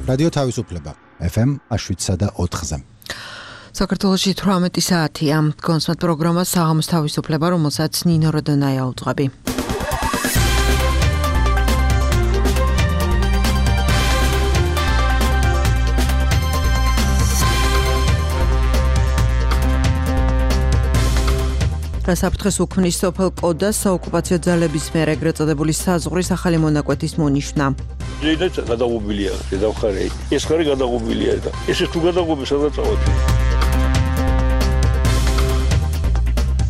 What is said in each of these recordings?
რადიო თავისუფლება FM 7.4-ზე. საქართველოში 18 საათია. კონსმეთ პროგრამა საღამოს თავისუფლება, რომელსაც ნინო როდონაია უძღვები. რასაფრთხეს უქმნის სოფელ კოდას საოკუპაციო ძალების მიერ ეგრეთ წოდებული საზღვრის ახალი მონაკვეთის მონიშნა. ეს გადაღობილია, შედავხარე. ეს ხარი გადაღობილია და ეს თუ გადაღობი სადაც წავედი.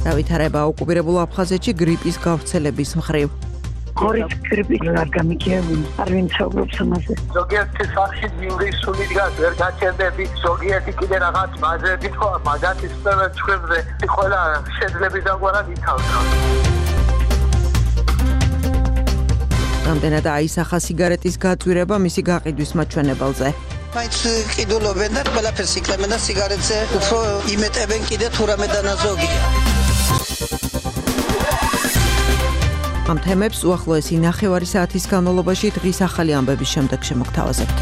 დავითარება ოკუპირებულ აფხაზეთში გრიპის გავრცელების მხრივ. Horit gripit არ გამიგებინ, არ ვინცობრობს ამაზე. ზოგიერთი სახში ინგლისური დგას, ვერ გაჩერდები, ზოგიერთი კიდე რაღაც მაზრები თქვა, მაგათი სპეციალურ ჩვებზე ყველა შეძლების დაგვარად ითავსა. რამდენად აისახა სიგარეტის გაწვირება მისი გაყიდვის მაჩვენებელზე. მაინც ყიდულობენ და ყველაფერს იკლებენ და სიგარეტზე უფრო იმეტებენ კიდე თუ რამე დანაზოგია. ამ თემებს უახლოესი 9 საათის განმავლობაში დღის ახალი ამბების შემდეგ შემოგთავაზებთ.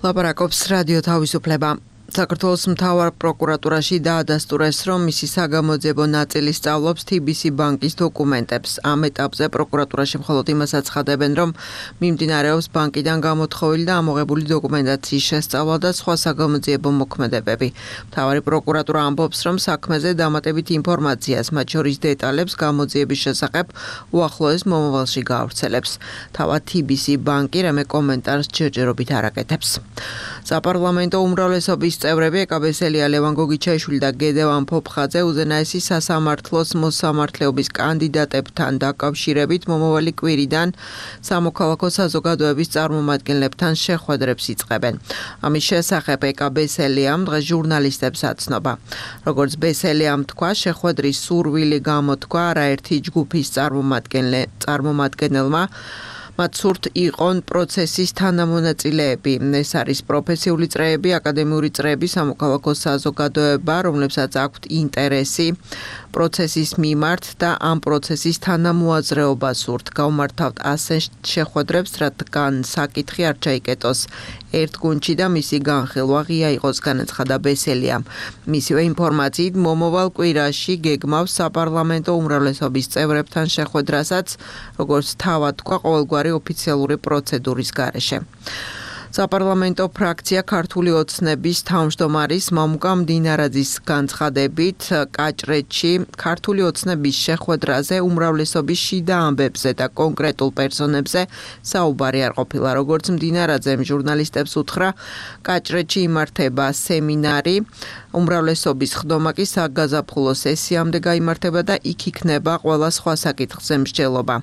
ლაპარაკობს რადიო თავისუფლება. საქართველოს მთავარ პროკურატურაში დაადასტურეს, რომ მისი საგამოძიებო ნაწილი სწავლობს TBC ბანკის დოკუმენტებს. ამ ეტაპზე პროკურატურაში მხოლოდ იმას აცხადებენ, რომ მიმდინარეობს ბანკიდან გამოთხოვილი და ამოღებული დოკუმენტაციის შესწავლა და სხვა საგამოძიებო მოქმედებები. მთავარი პროკურატურა ამბობს, რომ საქმეზე დამატებით ინფორმაციას, მათ შორის დეტალებს გამოძიების შესახებ უახლოეს მომავალში გაავრცელებს. თავად TBC ბანკი რამე კომენტარს ჯერჯერობით არ აკეთებს. საპარლამენტო უმრავლესობის წევრები ეკაბესელია ლევან გოგიჩაიშვილი და გედევან ფოფხაძე უზენაესი სასამართლოს მოსამართლეობის კანდიდატებთან დაკავშირებით მომავალი კვირიდან სამოქალაქო საზოგადოების წარმომადგენლებთან შეხვედრებს იწყებენ. ამის შესახებ ეკაბესელიამ დღეს ჟურნალისტებს აცნობა. როგორც ბესელიამ თქვა, შეხვედრის სურვილი გამოთქვა არაერთი ჯგუფის წარმომადგენელმა მათ სურთ იყონ პროცესის თანამონაწილეები. ეს არის პროფესიული წრეები, აკადემიური წრეები, სამოქალაქო საზოგადოება, რომლებსაც აქვთ ინტერესი პროცესის მიმართ და ამ პროცესის თანამოაზრეობა სურთ. გავმართავთ ასე შეხვედრებს, რადგან საკითხი არ ჩაიკეტოს ერთ გუნდში და მისი განხილვა ღია იყოს, განაცხადა ბესელიამ. მისივე ინფორმაციით, მომავალ კვირაში გეგმავს საპარლამენტო უმრავლესობის წევრებთან შეხვედრასაც, როგორც თავად თქვა, ყოველგვარი ოფიციალური პროცედურის გარეშე. საპარლამენტო ფრაქცია ქართული ოცნების თავმჯდომარის მამუკა მდინარაძის განცხადებით კაჭრეთში ქართული ოცნების შეხვედრაზე უმრავლესობის შიდა ამბებზე და კონკრეტულ პერსონებზე საუბარი არ ყოფილა. როგორც მდინარაძემ ჟურნალისტებს უთხრა, კაჭრეთში იმართება სემინარი, უმრავლესობის ხდომა კი საგაზაფხულო სესიამდე გაიმართება და იქ იქნება ყველა სხვა საკითხზე მსჯელობა.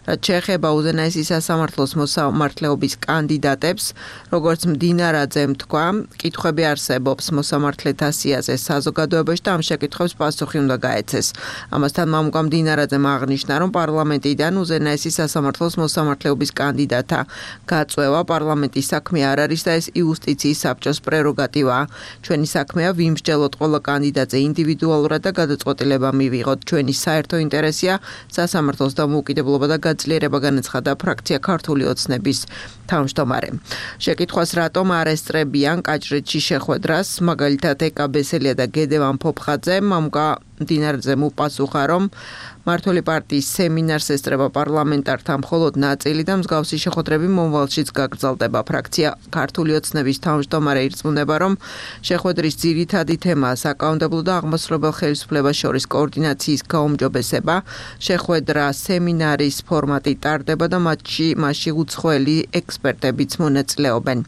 რაც შეეხება უზენაესი სასამართლოს მოსამართლეობის კანდიდატებს, როგორც მდინარაძემ თქვა, კითხვები არსებობს მოსამართლეთა სიაზე საზოგადოებაში და ამ შეკითხვებს პასუხი უნდა გაეცეს. ამასთან მამუკა მდინარაძემ აღნიშნა, რომ პარლამენტიდან უზენაესი სასამართლოს მოსამართლეობის კანდიდატთა გაწვევა პარლამენტის საქმე არ არის და ეს იუსტიციის საბჭოს პრეროგატივაა. ჩვენი საქმეა ვიმსჯელოთ ყველა კანდიდატზე ინდივიდუალურად და გადაწყვეტილება მივიღოთ. ჩვენი საერთო ინტერესია სასამართლოს დამოუკიდებლობა და გაძლიერება, განაცხადა ფრაქცია ქართული ოცნების თავმჯდომარე. შეკითხვას რატომ არ ესწრებიან კაჭრეთში შეხვედრას, მაგალითად ეკაბესელია და გედევან ფოფხაძე, მამუკა მდინარაძემ უპასუხა, რომ მართული პარტიის სემინარს ესწრება პარლამენტართა მხოლოდ ნაწილი და მსგავსი შეხვედრები მომავალშიც გაგრძელდება. ფრაქცია ქართული ოცნების თავმჯდომარე ირწმუნება, რომ შეხვედრის ძირითადი თემაა საკანონმდებლო და აღმასრულებელ ხელისუფლებას შორის კოორდინაციის გაუმჯობესება. შეხვედრა სემინარის ფორმატი ტარდება და მასში უცხოელი ექსპერტებიც მონაწილეობენ.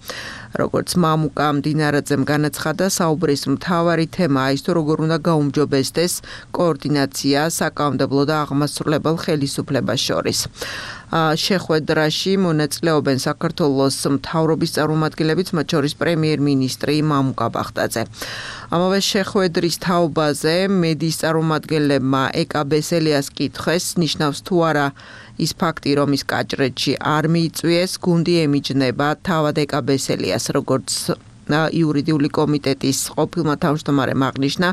როგორც მამუკა მდინარაძემ განაცხადა, საუბრის მთავარი თემაა ის, თუ როგორ უნდა გაუმჯობესდეს კოორდინაცია საკანონმდებლო და აღმასრულებელ ხელისუფლებას შორის. შეხვედრაში მონაწილეობენ საქართველოს მთავრობის წარმომადგენლებიც, მათ შორის პრემიერ-მინისტრი მამუკა ბახტაძე. ამავე შეხვედრის თაობაზე მედიის წარმომადგენლებმა ეკაბესელიას კითხეს, ნიშნავს თუ არა ის ფაქტი, რომ ის კაჭრეთში არ მიიწვიეს, გუნდი ემიჯნება თავად ეკაბესელიას, როგორც იურიდიული კომიტეტის ყოფილმა თავმჯდომარემ აღნიშნა,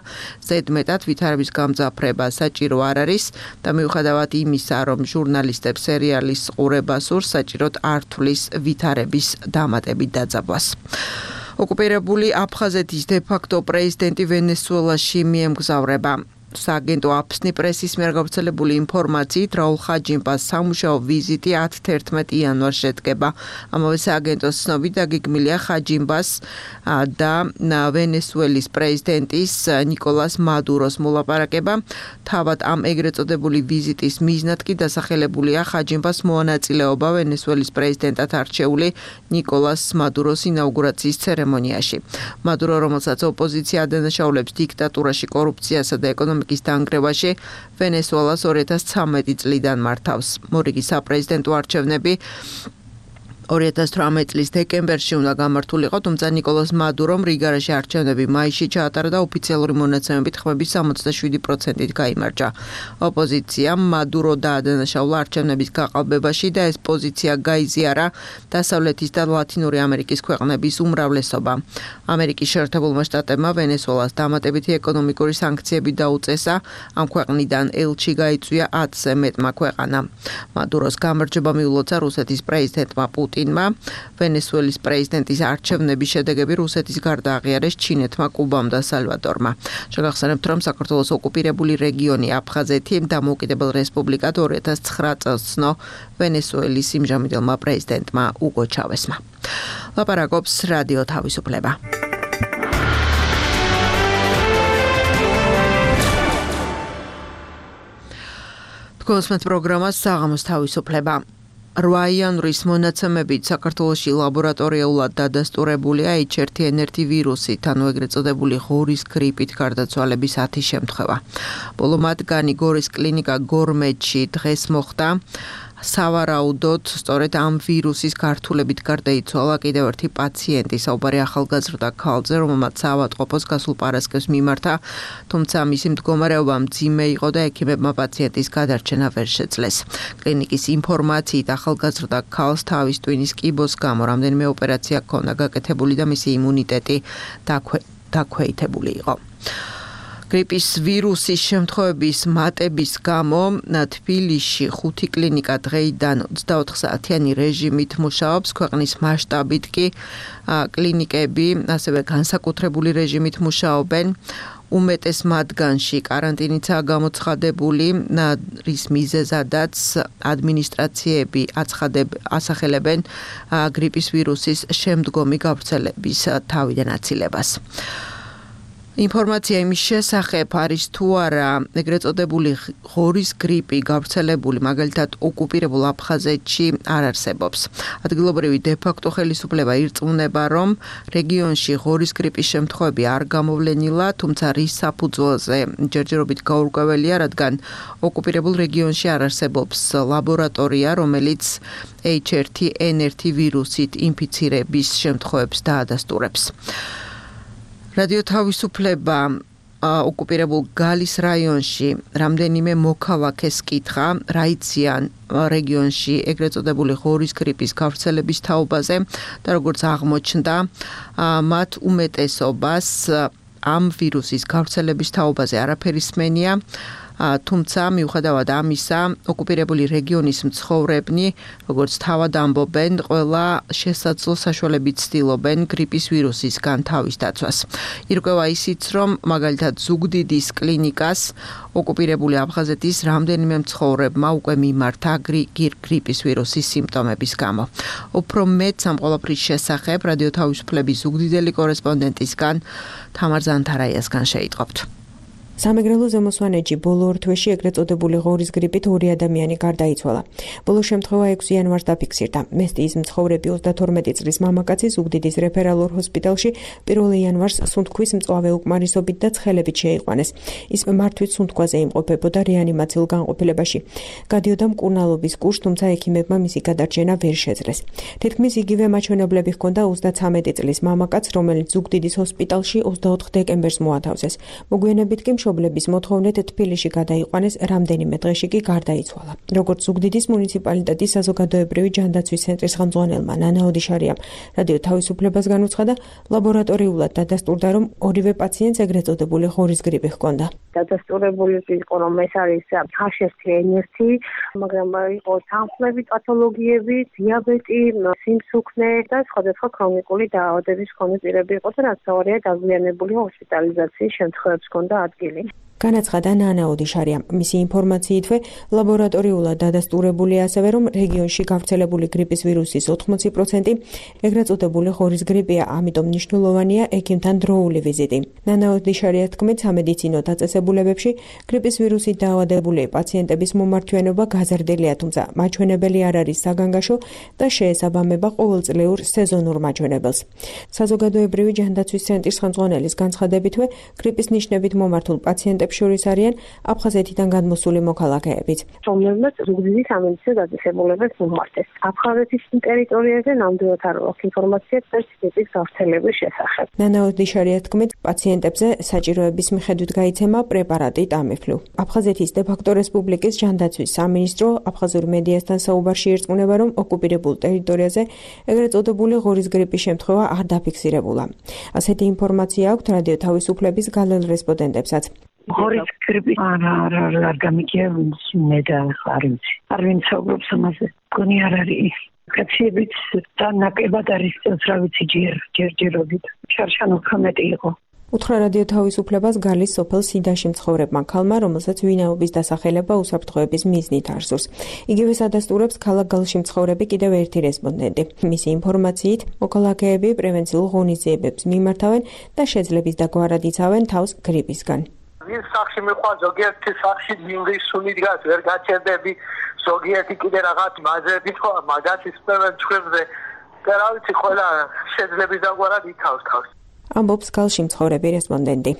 ზედმეტად ვითარების გამძაფრება საჭირო არ არის და მიუხედავად იმისა, რომ ჟურნალისტებს სერიალის ყურება სურს, საჭიროდ არ თვლის ვითარების დამატებით დაძაბვას. ოკუპირებული აფხაზეთის დე-ფაქტო პრეზიდენტი ვენესუელაში მიემგზავრება. სააგენტო აფსნი პრესის მიერ გავრცელებული ინფორმაციით რაულ ხაჯიმბას სამუშაო ვიზიტი 10-11 იანვარს შედგება. ამავე სააგენტოს ცნობით დაგეგმილია ხაჯიმბას და ვენესუელის პრეზიდენტის ნიკოლას მადუროს მოლაპარაკება. თავად ამ ეგრეთ წოდებული ვიზიტის მიზნად კი დასახელებულია ხაჯიმბას მონაწილეობა ვენესუელის პრეზიდენტად არჩეული ნიკოლას მადუროს ინაუგურაციის ცერემონიაში. მადურო, რომელსაც ოპოზიცია ადანაშაულებს დიქტატურაში, კორუფციასა და ეკონომიკის დანგრევაში, ვენესუელას 2013 წლიდან მართავს. მორიგი საპრეზიდენტო არჩევნები 2018 წლის დეკემბერში უნდა გამართულიყო, თუმცა ნიკოლას მადურომ რიგარაში არჩევნები მაისში ჩაატარა და ოფიციალური მონაცემებით ხმების 67%-ით გაიმარჯვა. ოპოზიციამ მადურო დაადანაშაულა არჩევნების გაყალბებაში და ეს პოზიცია გაიზიარა დასავლეთის და ლათინური ამერიკის ქვეყნების უმრავლესობა. ამერიკის შეერთებულმა შტატებმა ვენესუელას დამატებითი ეკონომიკური სანქციები დაუწესა, ამ ქვეყნიდან ელჩი გაიწვია 10-ზე მეტმა ქვეყანამ. მადუროს გამარჯვება მიულოცა რუსეთის პრეზიდენტმა პუტინმა, ვენესუელის პრეზიდენტის არჩევნების შედეგები რუსეთის გარდა აღიარეს ჩინეთმა, კუბამ და სალვადორმა. შეგახსენებთ, რომ საქართველოს ოკუპირებული რეგიონი აფხაზეთი დამოუკიდებელ რესპუბლიკად 2009 წელს ცნო ვენესუელის იმჟამინდელმა პრეზიდენტმა უგო ჩავესმა. ლაპარაკობს რადიო თავისუფლება. თქვენს პროგრამას საღამოს თავისუფლება. 8 იანვრის მონაცემებით საქართველოში ლაბორატორიულად დადასტურებულია H1N1 ვირუსით, ანუ ეგრეთ წოდებული ღორის გრიპით გარდაცვალების 10 შემთხვევა. ბოლო მათგანი გორის კლინიკა გორმეთში დღეს მოხდა. სავარაუდოდ სწორედ ამ ვირუსის გართულებით გარდაიცვალა კიდევ ერთი პაციენტი, საუბარი ახალგაზრდა ქალზე, რომელმაც საავადმყოფოს გასულ პარასკევს მიმართა, თუმცა მისი მდგომარეობა მძიმე იყო და ექიმებმა პაციენტის გადარჩენა ვერ შეძლეს. კლინიკის ინფორმაციით ახალგაზრდა ქალს თავის ტვინის კიბოს გამო რამდენიმე ოპერაცია ჰქონდა გაკეთებული და მისი იმუნიტეტი დაქვეითებული იყო. გრიპის ვირუსის შემთხვევების მატების გამო თბილისში 5 კლინიკა დღეიდან 24 საათიანი რეჟიმით მუშაობს, ქვეყნის მასშტაბით კი კლინიკები ასევე განსაკუთრებული რეჟიმით მუშაობენ. უმეტეს მათგანში კარანტინიცაა გამოცხადებული, რის მიზეზადაც ადმინისტრაციები ასახელებენ გრიპის ვირუსის შემდგომი გავრცელების თავიდან აცილებას. ინფორმაცია იმის შესახებ არის თუ არა ეგრეთ წოდებული ღორის გრიპი გავრცელებული მაგალითად ოკუპირებულ აფხაზეთში არ არსებობს. ადგილობრივი დე-ფაქტო ხელისუფლება ირწმუნება, რომ რეგიონში ღორის გრიპის შემთხვევები არ გამოვლენილა, თუმცა რის საფუძველზე ჯერჯერობით გაურკვეველია, რადგან ოკუპირებულ რეგიონში არ არსებობს ლაბორატორია, რომელიც H1N1 ვირუსით ინფიცირების შემთხვევებს დაადასტურებს. რადიო თავისუფლება ოკუპირებულ გალის რაიონში რამდენიმე მოქალაქეს კითხა რა იციან რეგიონში ეგრეთ წოდებული ღორის გრიპის გავრცელების თაობაზე და როგორც აღმოჩნდა, მათ უმეტესობას ამ ვირუსის გავრცელების თაობაზე არაფერი სმენია. თუმცა მიუხედავად ამისა, ოკუპირებული რეგიონის მცხოვრებნი, როგორც თავად ამბობენ, ყველა შესაძლო საშუალებით ცდილობენ გრიპის ვირუსისგან თავის დაცვას. ირკვევა ისიც, რომ მაგალითად ზუგდიდის კლინიკას ოკუპირებული აფხაზეთის რამდენიმე მცხოვრებმა უკვე მიმართა გრიპის ვირუსის სიმპტომების გამო. უფრო მეტ ამ ყველაფრის შესახებ რადიო თავისუფლების ზუგდიდელი კორესპონდენტისგან თამარ ზანთარაიასგან შეიტყობთ. სამეგრელო ზემოსვანეთში ბოლო ორ თვეში ეგრეთ წოდებული ღორის გრიპით 2 ადამიანი გარდაიცვალა. ბოლო შემთხვევა 6 იანვარს დაფიქსირდა. მესტიის მცხოვრები 32 წლის მამაკაცი ზუგდიდის რეფერალურ ჰოსპიტალში 1 იანვარს სუნთქვის მწვავე უკმარისობით და ცხელებით შეიყვანეს. ის მართვით სუნთქვაზე იმყოფებოდა რეანიმაციულ განყოფილებაში. გადიოდა მკურნალობის კურსს, თუმცა ექიმებმა მისი გადარჩენა ვერ შეძლეს. თითქმის იგივე მაჩვენებლები ჰქონდა 33 წლის მამაკაცს, რომელიც ზუგდიდის ჰოსპიტალში 24 დეკემბერს მოათავსეს. მოგვიანებით კი მშობლების მოთხოვნით თბილისში გადაიყვანეს, რამდენიმე დღეში კი გარდაიცვალა. როგორც ზუგდიდის მუნიციპალიტეტის საზოგადოებრივი ჯანდაცვის ცენტრის ხელმძღვანელმა ნანა ოდიშარიამ რადიო თავისუფლებას განუცხადა, ლაბორატორიულად დადასტურდა, რომ ორივე პაციენტს ეგრეთ წოდებული ღორის გრიპი ჰქონდა. დადასტურებული იყო, რომ ეს არის H1N1, მაგრამ იყო თანხმლები, პათოლოგიები, დიაბეტი, სიმსუქნე და სხვადასხვა ქრონიკული დაავადების მქონე პირები იყო და რაც თავარია დაგვიანებული ჰოსპიტალიზაციის შემთხვევებს ჰქონდა ადგილი. განაცხადა ნანა ოდიშარიამ. მისი ინფორმაციითვე ლაბორატორიულად დადასტურებულია ასევე, რომ რეგიონში გავრცელებული გრიპის ვირუსის 80% ეგრეთ წოდებული ღორის გრიპია, ამიტომ მნიშვნელოვანია ექიმთან დროული ვიზიტი. ნანა ოდიშარიას თქმით, სამედიცინო დაწესებულებებში გრიპის ვირუსით დაავადებული პაციენტების მომართვიანობა გაზრდილია, თუმცა მაჩვენებელი არ არის საგანგაშო და შეესაბამება ყოველწლიურ სეზონურ მაჩვენებელს. საზოგადოებრივი ჯანდაცვის ცენტრის ხელმძღვანელის განცხადებითვე, გრიპის ნიშნებით მომართულ პაციენტებს შორის არიან აფხაზეთიდან გადმოსული მოქალაქეებიც, რომლებმაც ზუგდიდის სამედიცინო დაწესებულებას მომართეს. აფხაზეთის ტერიტორიაზე ნამდვილად არ აქვს ინფორმაცია გრიპის გავრცელების შესახებ. ნანა ოდიშარიას თქმით, პაციენტებზე საჭიროების მიხედვით გაიცემა პრეპარატი ტამიფლუ. აფხაზეთის დე-ფაქტო რესპუბლიკის ჯანდაცვის სამინისტრო აფხაზურ მედიასთან საუბარში ერწყმუნება, რომ ოკუპირებულ ტერიტორიაზე ეგრეთ წოდებული ღორის გრიპის შემთხვევა არ დაფიქსირებულა. ასეთი ინფორმაცია აქვს რადიო თავისუფლების გალელ რესპონდენტებსაც. ღორის გრიპი არ გამიგია მე და არ ვინც საუბრობს ამაზე. მგონი არ არის. კაციებიც და ნაკლებად არის წელს რა ვიცი ჯერჯერობით. შარშანო ხმეტი იყო. უთხრა რადიო თავისუფლებას გალის სოფელ სიდაში მცხოვრებმა ქალმა, რომელსაც ვინაობის დასახელება უსაფრთხოების მიზნით არსურს. იგივე ადასტურებს ქალაქ გალში მცხოვრები კიდევ ერთი რესპონდენტი. მისი ინფორმაციით, მოქალაქეები პრევენციულ ღონისძიებებს მიმართავენ და შეძლების დაგვარად იცავენ თავს გრიპისგან. ვინ სახში მიყვა ზოგიერთი სახში დინგის სული დგას ვერ გაჩერდები ზოგიერთი კიდე რაღაც მაზრები თქო მაგათი სპერმენ ჩხებზე და რა ვიცი ყველა შეძლების დაგვარად იცავს თავს. ამბობს გალში მცხოვრები რესპონდენტი.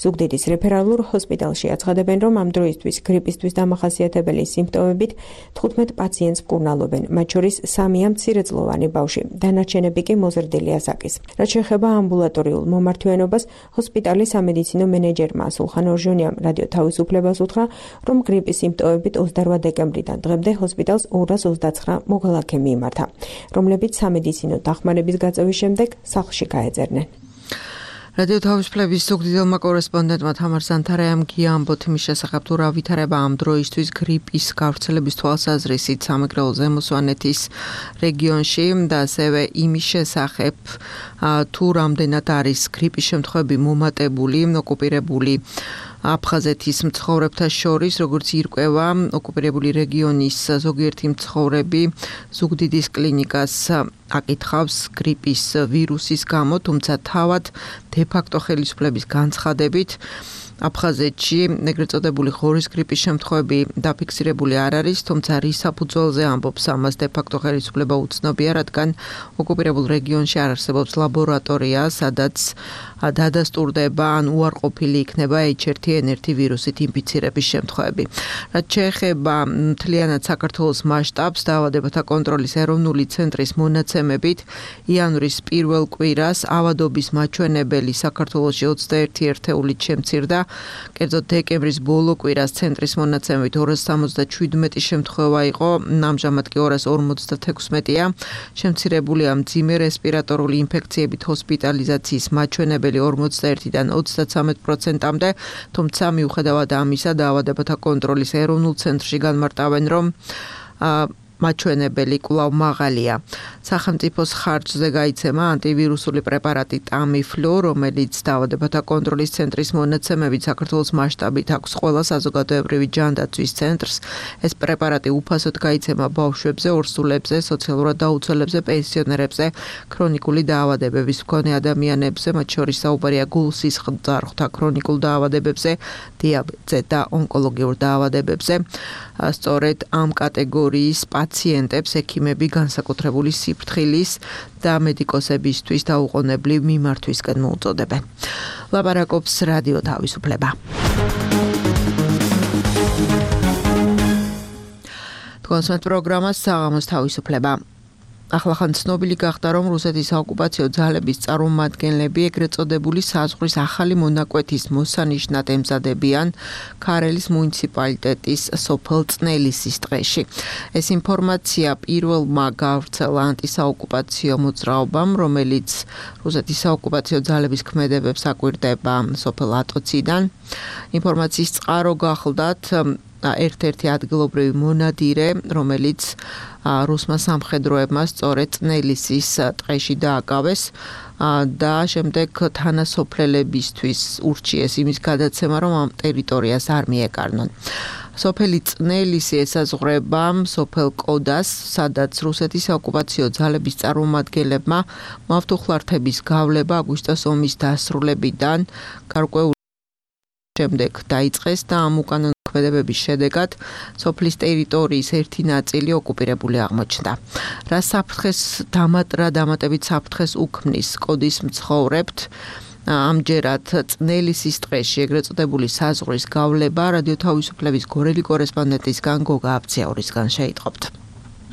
ზუგდიდის რეფერალურ ჰოსპიტალში აცხადებენ, რომ ამ დროისთვის გრიპისთვის დამახასიათებელი სიმპტომებით 15 პაციენტს მკურნალობენ, მათ შორის 3-ია მცირეწლოვანი ბავშვი, დანარჩენები კი მოზრდილი ასაკის. რაც შეეხება ამბულატორიულ მომართვიანობას, ჰოსპიტალის სამედიცინო მენეჯერმა სულხან ორჟონიამ რადიო თავისუფლებას უთხრა, რომ გრიპის სიმპტომებით 28 დეკემბრიდან დღემდე ჰოსპიტალს 229 მოქალაქე მიიმართა, რომლებიც სამედიცინო დახმარების გაწევის შემდეგ სახლში გაეძებნენ. რადიო თავისუფლების ზუგდიდელმა კორესპონდენტმა თამარ ზანთარაიამ გიამბოთ იმის შესახებ, თუ რა ვითარება ამ დროისთვის გრიპის გავრცელების თვალსაზრისით სამეგრელო ზემო სვანეთის რეგიონში და ასევე იმის შესახებ, თუ რამდენად არის გრიპის შემთხვევები მომატებული ოკუპირებული აფხაზეთის მცხოვრებთა შორის, როგორც ირკვევა ოკუპირებული რეგიონის ზოგიერთი მცხოვრები ზუგდიდის კლინიკას აკითხავს გრიპის ვირუსის გამო, თუმცა თავად დე-ფაქტო ხელისუფლების განცხადებით აფხაზეთში ეგრეთ წოდებული ღორის გრიპის შემთხვევები დაფიქსირებული არ არის, თუმცა რის საფუძველზე ამბობს ამას დე-ფაქტო ხელისუფლება უცნობია, რადგან ოკუპირებულ რეგიონში არ არსებობს ლაბორატორია, სადაც დადასტურდება ან უარყოფილი იქნება H1N1 ვირუსით ინფიცირების შემთხვევები. რაც შეეხება მთლიანად საქართველოს მასშტაბს, დაავადებათა კონტროლის ეროვნული ცენტრის მონაცემებით, იანვრის პირველ კვირას ავადობის მაჩვენებელი საქართველოში 21 ერთეულით შემცირდა. კერძოდ დეკემბრის ბოლო კვირას ცენტრის მონაცემებით 277 შემთხვევა იყო, ამჟამად კი 256-ია. შემცირებულია მძიმე რესპირატორული ინფექციებით ჰოსპიტალიზაციის მაჩვენებელი 41-დან 33%-მდე, თუმცა მიუხედავად ამისა, დაავადებათა კონტროლის ეროვნულ ცენტრში განმარტავენ, რომ მაჩვენებელი კვლავ მაღალია. სახელმწიფოს ხარჯზე გაიცემა ანტივირუსული პრეპარატი ტამიფლუ, რომელიც დაავადებათა კონტროლის ცენტრის მონაცემებით საქართველოს მასშტაბით აქვს ყველა საზოგადოებრივი ჯანდაცვის ცენტრს. ეს პრეპარატი უფასოდ გაიცემა ბავშვებზე, ორსულებზე, სოციალურად დაუცველებზე, პენსიონერებზე, ქრონიკული დაავადებების მქონე ადამიანებზე, მათ შორის საუბარია გულსისხლძარღვთა ქრონიკულ დაავადებებზე, დიაბეტზე და ონკოლოგიურ დაავადებებზე. სწორედ ამ კატეგორიის პაციენტებს ექიმები განსაკუთრებული სიფრთხილის და მედიკოსებისთვის დაუყოვნებლივ მიმართვისკენ მოუწოდებენ. ლაპარაკობს რადიო თავისუფლება. თქვენს პროგრამას საღამოს თავისუფლება. ახლახან ცნობილი გახდა, რომ რუსეთის საოკუპაციო ძალების წარმომადგენლები ეგრეთ წოდებული საზღვრის ახალი მონაკვეთის მოსანიშნად ემზადებიან ქარელის მუნიციპალიტეტის სოფელ წნელისის ტყეში. ეს ინფორმაცია პირველმა გავრცელა ანტისაოკუპაციო მოძრაობამ, რომელიც რუსეთის საოკუპაციო ძალების ქმედებებს აკვირდება სოფელ ატოციდან. ინფორმაციის წყარო გახლდათ ერთ-ერთი ადგილობრივი მონადირე, რომელიც რუსმა სამხედროებმა სწორედ წნელისის ტყეში დააკავეს და შემდეგ თანასოფლელებისთვის ურჩიეს იმის გადაცემა, რომ ამ ტერიტორიას არ მიეკარნონ. სოფელი წნელისი ესაზღვრება სოფელ კოდას, სადაც რუსეთის საოკუპაციო ძალების წარმომადგენლებმა მავთუხლართების გავლება აგვისტოს ომის დასრულებიდან გარკვეული შემდეგ დაიწყეს და ამ უკანონო ქმედებების შედეგად სოფლის ტერიტორიის ერთი ნაწილი ოკუპირებული აღმოჩნდა. რა დამატებით საფრთხეს უქმნის კოდის მცხოვრებთ, ამჯერად წნელისის ტყეში ეგრეთ წოდებული საზღვრის გავლება რადიო თავისუფლების გორელი კორესპონდენტისგან გოგა აბციაურისგან შეიტყობთ.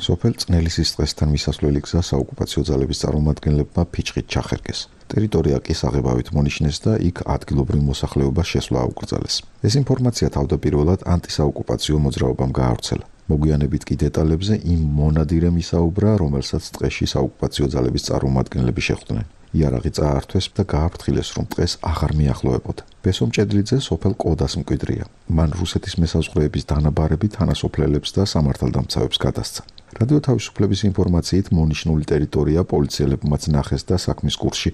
სოფელ წნელისის ტყესთან მისასვლელი გზა საოკუპაციო ძალების წარმომადგენლებმა ფიჭხით ჩახერგეს. ტერიტორია კი საღებავით მონიშნეს და იქ ადგილობრივ მოსახლეობას შესვლა აუკრძალეს. ეს ინფორმაცია თავდაპირველად ანტისაოკუპაციო მოძრაობამ გაავრცელა. მოგვიანებით კი დეტალებზე იმ მონადირემ ისაუბრა, რომელსაც ტყეში საოკუპაციო ძალების წარმომადგენლები შეხვდნენ. იარაღი წაართვეს და გააფრთხილეს, რომ ტყეს აღარ მიახლოებოდა. ბესო მჭედლიძე სოფელ კოდას მკვიდრია. მან რუსეთის მესაზღვრეების დანაბარები თანასოფლელებს და სამართალდამცავებს გადასცა. რადიო თავისუფლების ინფორმაციით მონიშნული ტერიტორია პოლიციელებმაც ნახეს და საქმის კურსში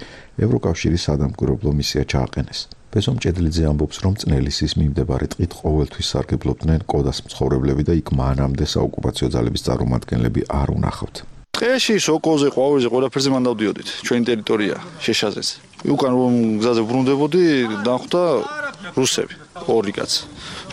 ევროკავშირის სადამკვირვებლო მისია ჩააყენეს. ბესო მჭედლიძე ამბობს, რომ წნელისის მიმდებარე ტყით ყოველთვის სარგებლობდნენ კოდას მცხოვრებლები და იქ მანამდე საოკუპაციო ძალების წარმომადგენლები არ უნახავთ. ტყეში, სოკოზე, ყვავილზე, ყველაფერზე მან დავდიოდით. ჩვენი ტერიტორია შეშაზეს. უკან რომ გზაზე ბრუნდებოდი, დახვდა რუსები, ორი კაცი,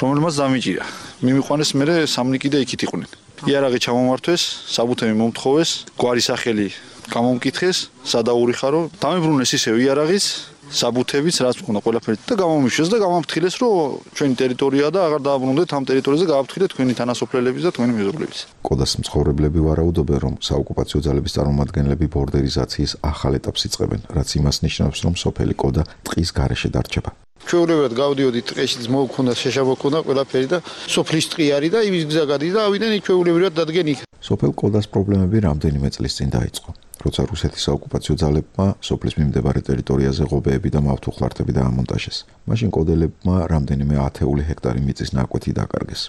რომელმაც დამიჭირა. მიმიყვანეს მერე სამნიკი და იქით იყვნენ. იარაღი ჩამომართვეს, საბუთები მომთხოვეს, გვარი სახელი გამომკითხეს, სადაური ხარო, დამებრუნეს ისევ იარაღის, საბუთებიც რაც მქონდა ყველაფერი და გამომიშვეს და გამაფრთხილეს, რომ ჩვენი ტერიტორია და აღარ დააბრუნდეთ ამ ტერიტორიაზე, გააფრთხილეთ თქვენი თანასოფლელების და თქვენი მეზობლების. კოდას მცხოვრებლები ვარაუდობენ, რომ საოკუპაციო ძალების წარმომადგენლები ბორდერიზაციის ახალ ეტაპს იწყებენ, რაც იმას ნიშნავს, რომ სოფელი კოდა ტყის გარეშე დარჩება. ჩვეულებრივად გავდიოდით ტყეში, მოვქონდა შეშაბო ქონდა ყველაფერი და სოფლის ტყი არის და იმის გზა გადის და ავიდან იქ ჩვეულებრივად დადგენ იქ. სოფელ კოდას პრობლემები რამდენიმე წლის წინ დაიწყო. როცა რუსეთის საოკუპაციო ძალებმა სოფლის მიმდებარე ტერიტორიაზე ღობეები და მავთუხლართები დაამონტაჟეს. მაშინ კოდელებმა რამდენიმე 10 ჰექტარი მიწის ნაკვეთი დაკარგეს.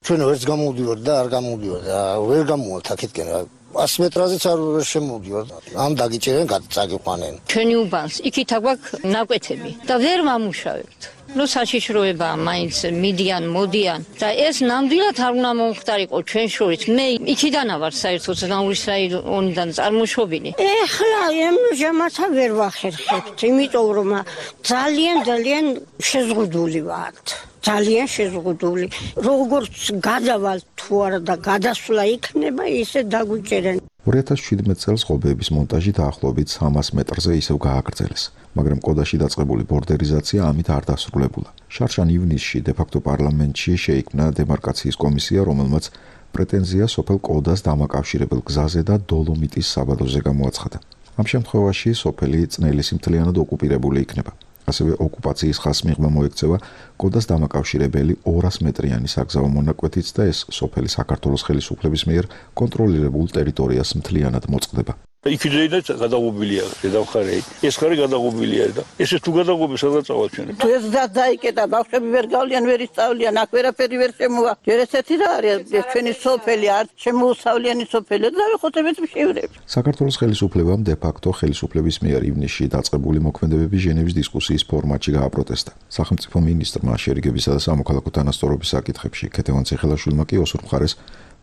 ჩვენ ვერც გამოვდივართ და არ გამოვდივართ. ვერ გამოვალთ აქეთკენ. 100 მეტრაზეც არ შემოვდივართ. ამ დაგიჭერენ, წაგიყვანენ. ჩვენი უბანს იქით აგვაქვს ნაკვეთები და ვერ ვამუშავებთ. ნუ საშიშროება მაინც მიდიან, მოდიან და ეს ნამდვილად არ უნდა მომხდარიყო ჩვენ შორის. მე იქიდან ვარ საერთოდ ნაურის რაიონიდან წარმოშობილი. ეხლა ემჟამათა ვერ ვახერხებთ, იმიტომ რომ ძალიან შეზღუდული ვართ. ძალიან შეზღუდული. როგორც გადავალ თუ არა და გადასვლა იქნება, ისე დაგვიჭერენ. 2017 წელს ღობეების მონტაჟი დაახლოებით 300 მეტრზე ისევ გააგრძელეს, მაგრამ კოდაში დაწყებული ბორდერიზაცია ამით არ დასრულებულა. შარშან ივნისში დე-ფაქტო პარლამენტში შეიქმნა დემარკაციის კომისია, რომელმაც პრეტენზია სოფელ კოდას დამაკავშირებელ გზაზე და დოლომიტის საბადოზე გამოაცხადა. ამ შემთხვევაში სოფელი წნელისი მთლიანად ოკუპირებული იქნება. ასევე ოკუპაციის ხაზს მიღმა მოექცევა კოდას დამაკავშირებელი 200 მეტრიანი საგზაო მონაკვეთიც და ეს სოფელი საქართველოს ხელისუფლების მიერ კონტროლირებულ ტერიტორიას მთლიანად მოწყდება. იქიდანაც გადაღობილია დედამხარე. ეს ხარი გადაღობილია და ესე თუ გადაღობი სადაც წავაჩვენებ. თუ ეს დაიკეტა, ბავშვები ვერ გავლიან, ვერ ისწავლიან, აქ ვერაფერი ვერ შემოვა. ჯერ ესეთი რა არის ჩვენი სოფელი, არ შემოუსავლიანი სოფელი და ვიხოთებით მშივრებს. საქართველოს ხელისუფლებამ დე-ფაქტო ხელისუფლების მიერ ივნისში დაწყებული მოქმედებები ჟენევის დისკუსიის ფორმატში გააპროტესტა. სახელმწიფო მინისტრმა შერიგებისა და სამოქალაქო თანასწორობის საკითხებში ქეთევან ციხელაშვილმა კი ოსურ მხარეს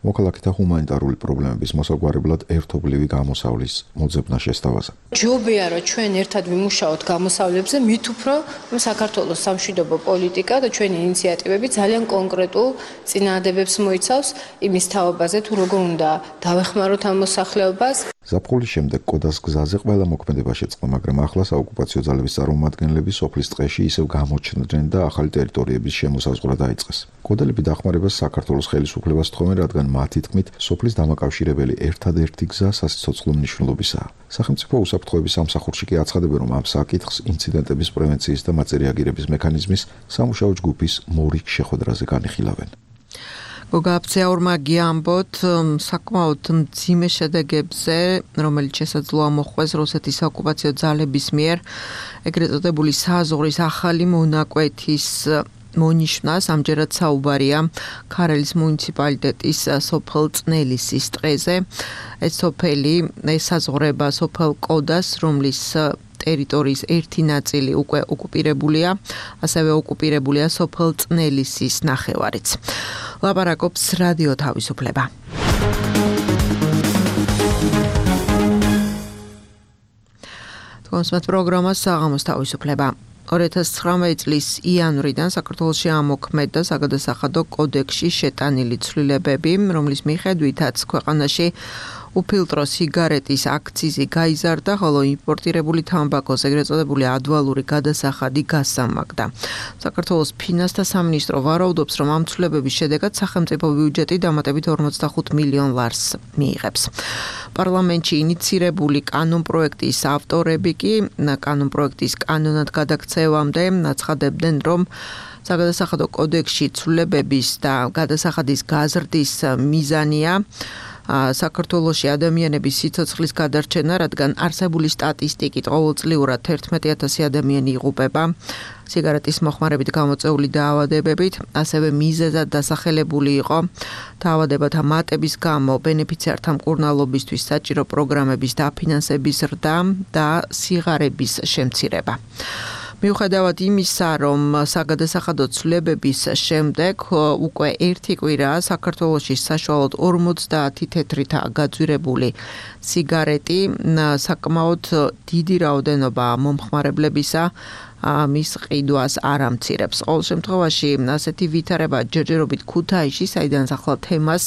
მოქალაქეთა ჰუმანიტარული პრობლემების მოსაგვარებლად ერთობლივი გამოსავლის მოძებნა შესთავაზა. ჯობია რომ ჩვენ ერთად ვიმუშაოთ გამოსავლებზე, მით უფრო რომ საქართველოს სამშვიდობო პოლიტიკა და ჩვენი ინიციატივები ძალიან კონკრეტულ წინააღმდეგობებს მოიცავს იმის თაობაზე თუ როგორ უნდა დავეხმაროთ ამ მოსახლეობას. ზაფხულის შემდეგ კოდას გზაზე ყველა მოქმედება შეწყდა, მაგრამ ახლა საოკუპაციო ძალების წარმომადგენლები სოფლის ტყეში ისევ გამოჩნდნენ და ახალი ტერიტორიების შემოსაზღვრა დაიწყეს. კოდელები დახმარებას საქართველოს ხელისუფლებას თხოვენ, რადგან მათი თქმით, სოფლის დამაკავშირებელი ერთადერთი გზა სასიცოცხლო მნიშვნელობისაა. სახელმწიფო უსაფრთხოების სამსახურში კი აცხადებენ, რომ ამ საკითხს ინციდენტების პრევენციის და მათზე რეაგირების მექანიზმის სამუშაო ჯგუფის მორიგ შეხვედრაზე განიხილავენ. გოგაფცეაურმა გიამბოთ საკმაოდ მძიმე შედეგებზე, რომელიც შესაძლოა მოხვდეს რუსეთის ოკუპაციო ძალების მიერ, ეგრეთ წოდებული საზღვრის ახალი მონაკვეთის მონიშნას. ამჯერად საუბარია ქარელის მუნიციპალიტეტის სოფელ წნელისის ტყეზე. ეს სოფელი ესაზღვრება სოფელ კოდას, რომლის ტერიტორიის ერთი ნაწილი უკვე ოკუპირებულია, ასევე ოკუპირებულია სოფელ წნელისის ნახევარიც. ლაპარაკობს რადიო თავისუფლება. თქვენს პროგრამას საღამოს თავისუფლება. 2019 წლის იანვრიდან საქართველოში ამოქმედდა საგადასახადო კოდექსში შეტანილი ცვლილებები, რომლის მიხედვითაც ქვეყანაში უფილტრო სიგარეტის აქციზი გაიზარდა, ხოლო იმპორტირებული თამბაქოს ეგრეთ წოდებული ადვალური გადასახადი გასამაგდა. საქართველოს ფინანსთა სამინისტრო ვარაუდობს, რომ ამ ცვლილებების შედეგად სახელმწიფო ბიუჯეტი დამატებით 45 მილიონ ლარს მიიღებს. პარლამენტში ინიცირებული კანონპროექტის ავტორები კი კანონპროექტის კანონად გადაქცევამდე აცხადებდნენ, რომ საგადასახადო კოდექსში ცვლილებების და გადასახადის გაზრდის მიზანია საქართველოში ადამიანების სიცოცხლის გადარჩენა, რადგან არსებული სტატისტიკით ყოველწლიურად 11,000 ადამიანი იღუპება სიგარეტის მოხმარებით გამოწვეული დაავადებებით, ასევე მიზეზად დასახელებული იყო დაავადებათა მატების გამო ბენეფიციართა მკურნალობისთვის საჭირო პროგრამების დაფინანსების ზრდა და სიღარიბის შემცირება. მიუხედავად იმისა, რომ საგადასახადო ცვლილებების შემდეგ უკვე ერთი კვირაა საქართველოში საშუალოდ 50 თეთრითაა გაძვირებული სიგარეტი, საკმაოდ დიდი რაოდენობა მომხმარებლებისა მის ყიდვას არ ამცირებს. ყოველ შემთხვევაში ასეთი ვითარება ჯერჯერობით ქუთაისში, საიდან ახლა თემას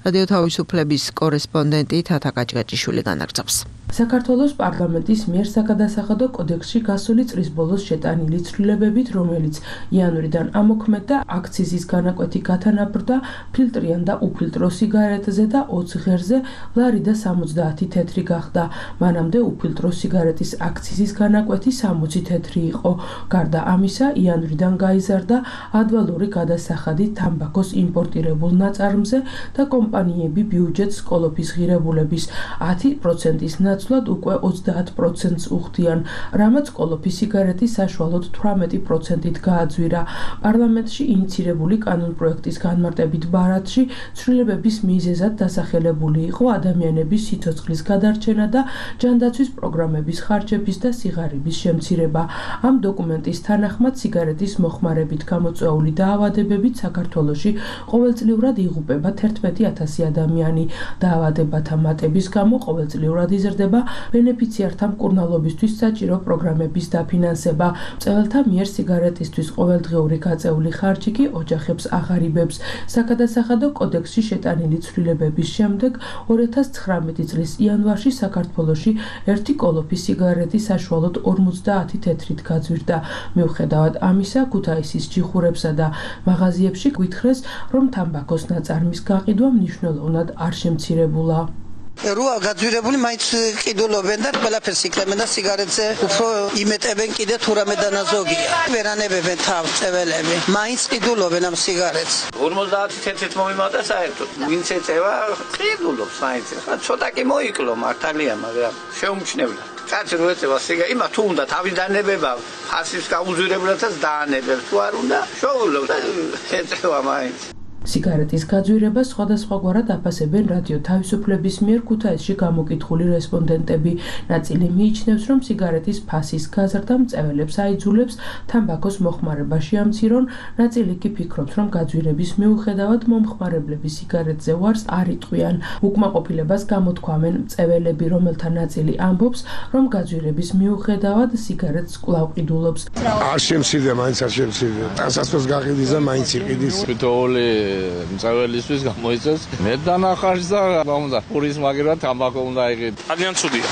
რადიო თავისუფლების კორესპონდენტი თათა კაჭკაჭიშვილი განაგრძობს. საქართველოს პარლამენტის მიერ საგადასახადო კოდექსში გასული წლის ბოლოს შეტანილი ცვლილებებით, რომელიც იანვრიდან ამოქმედდა, აქციზის განაკვეთი გათანაბრდა ფილტრიან და უფილტრო სიგარეტზე და 20 ღერზე ლარი და 70 თეთრი გახდა. მანამდე უფილტრო სიგარეტის აქციზის განაკვეთი 60 თეთრი იყო. გარდა ამისა, იანვრიდან გაიზარდა ადვალური გადასახადი თამბაქოს იმპორტირებულ ნაწარმზე და კომპანიები ბიუჯეტს კოლოფის ღირებულების 10%-ის ნაცვლად უკვე 30%-ს უხდიან, რამაც კოლოფის სიგარეტის საშუალოდ 18%-ით გააძვირა. პარლამენტში ინიცირებული კანონპროექტის განმარტებით ბარათში ცვლილებების მიზეზად დასახელებული იყო ადამიანების სიცოცხლის გადარჩენა და ჯანდაცვის პროგრამების ხარჯების და სიღარიბის შემცირება. ამ დოკუმენტის თანახმად სიგარეტის მოხმარებით გამოწვეული დაავადებებით საქართველოში ყოველწლიურად იღუპება 11,000 ადამიანი. დაავადებათა მატების გამო ყოველწლიურად იზრდება ბენეფიციართა მკურნალობისთვის საჭირო პროგრამების დაფინანსება. მწვერვალთა მიერ სიგარეტისთვის ყოველდღიური გაწეული ხარჯი კი ოჯახებს აღარიბებს. საგადასახადო კოდექსში შეტანილი ცვლილებების შემდეგ 2019 წლის იანვარში საქართველოში ერთი კოლოფის სიგარეტი საშუალოდ 50 თეთრით გაძვირდა. მიუხედავად ამისა, ქუთაისის ჯიხურებსა და მაღაზიებში გვითხრეს, რომ თამბაქოს ნაწარმის გაყიდვა მნიშვნელოვნად არ შემცირებულა. როა გაძვირებული მაინც ყიდულობენ და ყველაფერს იკლებენ და სიგარეტზე უფრო იმეტებენ კიდე თუ რამე დანაზოგია. ვერანებებენ თავს წეველები. მაინც ყიდულობენ ამ სიგარეტს. 50 თეთრით მომიმატა საერთოდ. ვინც ეწევა ყიდულობს მაინც. ცოტა კი მოიკლო მართალია, მაგრამ შეუმჩნევლად. კაცი რო ეწევა სიგარეტს, იმა თუ უნდა თავის დანებება, ფასის გაუძვირებლადაც დაანებებს. თუ არ უნდა, შოულობს და ეწევა მაინც. სიგარეტის გაძვირებას სხვადასხვაგვარად აფასებენ რადიო თავისუფლების მიერ ქუთაისში გამოკითხული რესპონდენტები. ნაწილი მიიჩნევს, რომ სიგარეტის ფასის გაზრდა მწეველებს აიძულებს თამბაქოს მოხმარებაში ამცირონ, ნაწილი კი ფიქრობს, რომ გაძვირების მიუხედავად მომხმარებლები სიგარეტზე ვარს არ იტყვიან. უკმაყოფილებას გამოთქვამენ მწეველები, რომელთა ნაწილი ამბობს, რომ გაძვირების მიუხედავად სიგარეტს კვლავ ყიდულობს. არ შემცირდა, მაინც არ შემცირდა. ტანსაცმელს გაყიდის და მაინც იყიდის. თითოეული მწეველისთვის გამოიწეს მე დანახარს და უნდა პურის მაგერად თამბაქო უნდა იყიდო. ძალიან ცუდია.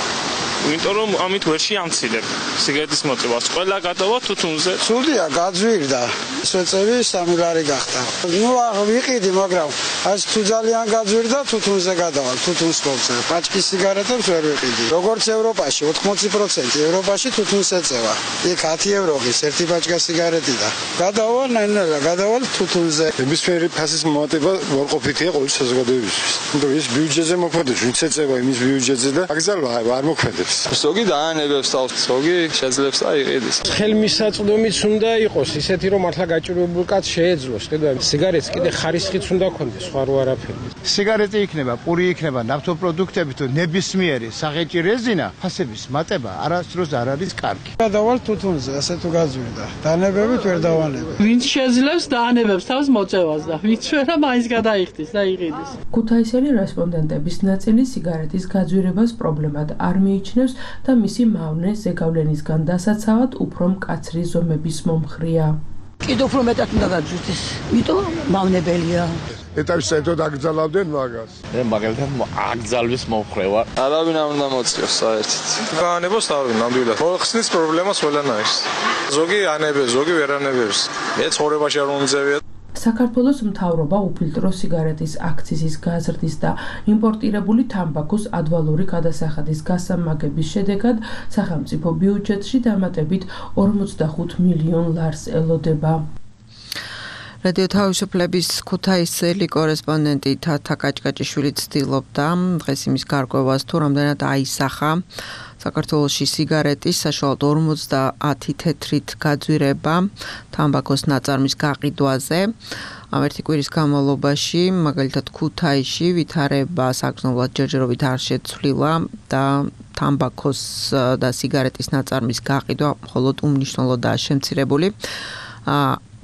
იმიტომ რომ ამით ვერ შეამცილებ სიგარეტის მოწევას. ყველა გადავა თუთუნზე. ცუდია, გაძვირდა. სვეწები 3 ლარი გახდა. ნუ ვიყიდი, მაგრამ ეს თუ ძალიან გაძვირდა, თუთუნზე გადავალ, თუთუნს მოვწევ. პაჭკის სიგარეტებს ვერ ვიყიდი. როგორც ევროპაში 80% ევროპაში თუთუნს ეწევა. იქ 10 ევროღის ერთი პაჭკა სიგარეტი და გადავალ ნაინერა, გადავალ თუთუნზე. ნებისმიერი ფასის მომატება უარყოფითია ყოველი საზოგადოებისთვის. იმიტომ ის ბიუჯეტზე მოქმედებს, ვინც ეწევა იმის ბიუჯეტზე და აგზალვა არ მოქმედებს. ზოგი დაანებებს თავს, ზოგი შეძლებს და იყიდის. ხელმისაწვდომიც უნდა იყოს ისეთი, რომ მართლა გაჭირვებულ კაცს შეეძლოს. კიდევ სიგარეტს კიდე ხარისხიც უნდა ქონდეს, სხვა რო არაფერი. სიგარეტი იქნება, პური იქნება, ნავთობპროდუქტები თუ ნებისმიერი საღეჭი რეზინა, ფასების მატება არასდროს არ არის კარგი. გადავალ თუთუნზე, ასე თუ გაძვირდა. დანებებით ვერ დავანებებ. ვინც შეძლებს დაანებებს თავს მოწევას და ვინც ვერა მაინც გადაიხდის და იყიდის. ქუთაისელი რესპონდენტების ნაწილი სიგარეტის გაძვირებას პრობლემად არ მიიჩნევს და მისი მავნე ზეგავლენისგან დასაცავად უფრო მკაცრი ზომების მომხრია. კიდევ უფრო მეტად უნდა გაძვირდეს, იმიტომ მავნებელია. ეტაპის საერთოდ აკრძალავდნენ მაგას. მე მაგალითად აკრძალვის მომხრევა. არავინ არ უნდა მოწიოს საერთოდ. გაანებოს თავი ნამდვილად. მოხსნის პრობლემას ყველანაირს. ზოგი ანებებს, ზოგი ვერ ანებებს. მე ცხოვრებაში არ მომძევია. საქართველოს მთავრობა უფილტრო სიგარეტის აქციზის გაზრდის და იმპორტირებული თამბაქოს ადვალური გადასახადის გასამაგების შედეგად სახელმწიფო ბიუჯეტში დამატებით 45 მილიონ ლარს ელოდება. რადიო თავისუფლების ქუთაისელი კორესპონდენტი თათა კაჭკაჭიშვილი ცდილობდა დღეს იმის გარკვევას თუ რამდენად აისახა საქართველოში სიგარეტის საშუალოდ 50 თეთრით გაძვირება თამბაქოს ნაწარმის გაყიდვაზე. ამ ერთი კვირის განმავლობაში მაგალითად ქუთაისში ვითარება საგრძნობლად ჯერჯერობით არ შეცვლილა და თამბაქოს და სიგარეტის ნაწარმის გაყიდვა მხოლოდ უმნიშვნელოდაა შემცირებული.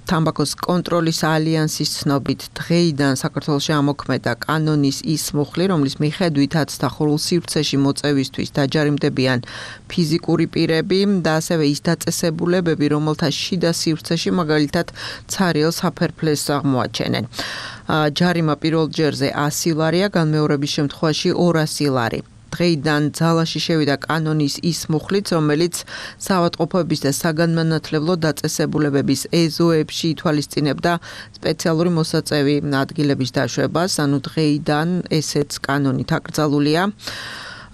თამბაქოს კონტროლის ალიანსის ცნობით დღეიდან საქართველოში ამოქმედა კანონის ის მუხლი, რომლის მიხედვითაც დახურულ სივრცეში მოწევისთვის დაჯარიმდებიან ფიზიკური პირები და ასევე ის დაწესებულებები, რომელთა შიდა სივრცეში მაგალითად ცარიელ საფერფლეს აღმოაჩენენ. ჯარიმა პირველ ჯერზე 100 ლარია, განმეორების შემთხვევაში 200 ლარი. დღეიდან ძალაში შევიდა კანონის ის მუხლიც, რომელიც საავადმყოფოების და საგანმანათლებლო დაწესებულებების ეზოებში ითვალისწინებდა სპეციალური მოსაწევი ადგილების დაშვებას, ანუ დღეიდან ესეც კანონით აკრძალულია.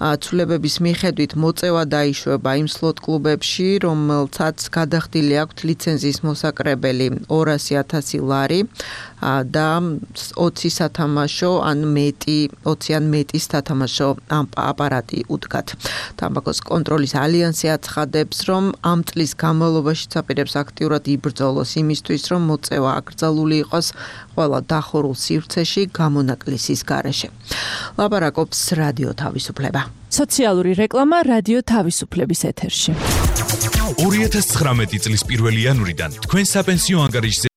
ცვლილებების მიხედვით მოწევა დაიშვება იმ სლოტ კლუბებში, რომელთაც გადახდილი აქვთ ლიცენზიის მოსაკრებელი 200,000 ლარი და 20 სათამაშო ან მეტი 20 ან მეტი სათამაშო აპარატი უდგათ. თამბაქოს კონტროლის ალიანსი აცხადებს, რომ ამ წლის განმავლობაში საპირებს აქტიურად იბრძოლოს იმისთვის, რომ მოწევა აკრძალული იყოს ყველა დახურულ სივრცეში გამონაკლისის გარეშე. ლაპარაკობს რადიო თავისუფლება. სოციალური რეკლამა რადიო თავისუფლების ეთერში. 2019 წლის 1 იანვრიდან თქვენ საპენსიო ანგარიშზე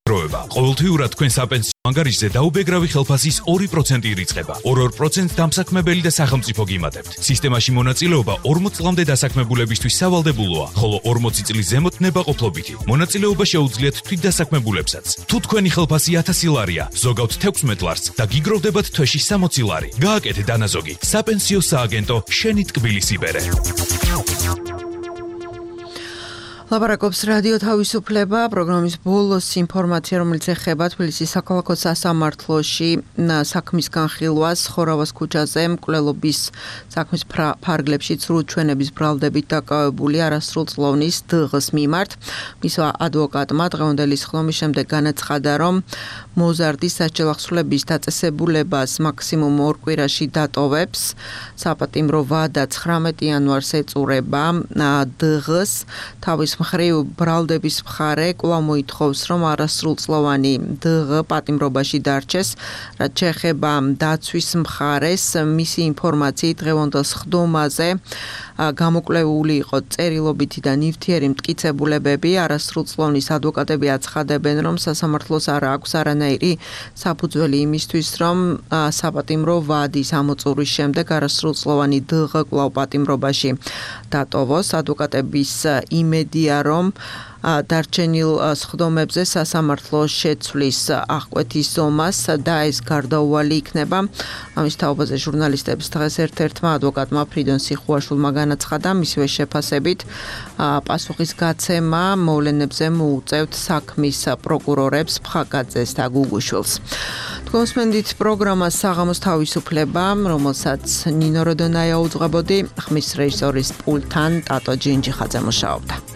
როება. ყოველთვიურად თქვენ საპენსიო ანგარიშზე დაუბეგრავი ხელფასის 2% ირიცხება. 2% დამსაქმებელი და სახელმწიფო გიმატებთ. სისტემაში მონაწილეობა 40 წლამდე დასაქმებულებისთვის სავალდებულოა, ხოლო 40 წლის ზემოთ ნებაყოფლობითი. მონაწილეობა შეუძლიათ თვითდასაქმებულებსაც. თუ თქვენი ხელფასი 1000 ლარია, ზოგავთ 16 ლარს და გიგროვდებათ თვეში 60 ლარი. გააკეთე დანაზოგი. საპენსიო სააგენტო შენი ტკბილის იბერე. ლაპარაკობს რადიო თავისუფლება, პროგრამის ბოლოს ინფორმაცია, რომელიც ეხება თბილისის საქალაქო სასამართლოში საქმის განხილვას ხორავას ქუჩაზე მკვლელობის საქმის ფარგლებში ცრუჩვენების ბრალდებით დაკავებული არასრულწლოვნის დ.ღ.-ს მიმართ. მისმა ადვოკატმა დღევანდელი სხდომის შემდეგ განაცხადა, რომ მოზარდის სასჯელახსრულების დაწესებულებას მაქსიმუმ 2 კვირაში დატოვებს. საპატიმრო ვადა 19 იანვარს ეწურება დ.ღ.-ს. თავის მხრივ ბრალდების მხარე კვლავ მოითხოვს, რომ არასრულწლოვანი დ.ღ. პატიმრობაში დარჩეს, რაც შეეხება დაცვის მხარეს, მისი ინფორმაციით დღევანდელ სხდომაზე გამოკვლეული იყო წერილობითი და ნივთიერი მტკიცებულებები. არასრულწლოვნის ადვოკატები აცხადებენ, რომ სასამართლოს არ აქვს არანაირი საფუძველი იმისთვის, რომ საპატიმრო ვადის ამოწურვის შემდეგ არასრულწლოვანი დ.ღ. კვლავ პატიმრობაში დატოვოს. ადვოკატების იმედია, რომ დარჩენილ სხდომებზე სასამართლო შეცვლის აღკვეთის ზომას და ეს გარდაუვალი იქნება. ამის თაობაზე ჟურნალისტებს დღეს ერთ-ერთმა ადვოკატმა ფრიდონ სიხუაშვილმა განაცხადა, მისივე შეფასებით პასუხის გაცემა მოვლენებზე მოუწევთ საქმის პროკურორებს ფხაკაძეს და გუგუშვილს. თქვენ მსმენთ პროგრამას საღამოს თავისუფლება, რომელსაც ნინო როდონაია უძღვებოდი, ხმის რეჟისორის პულტთან ტატო ჯინჯიხაძე მუშაობდა.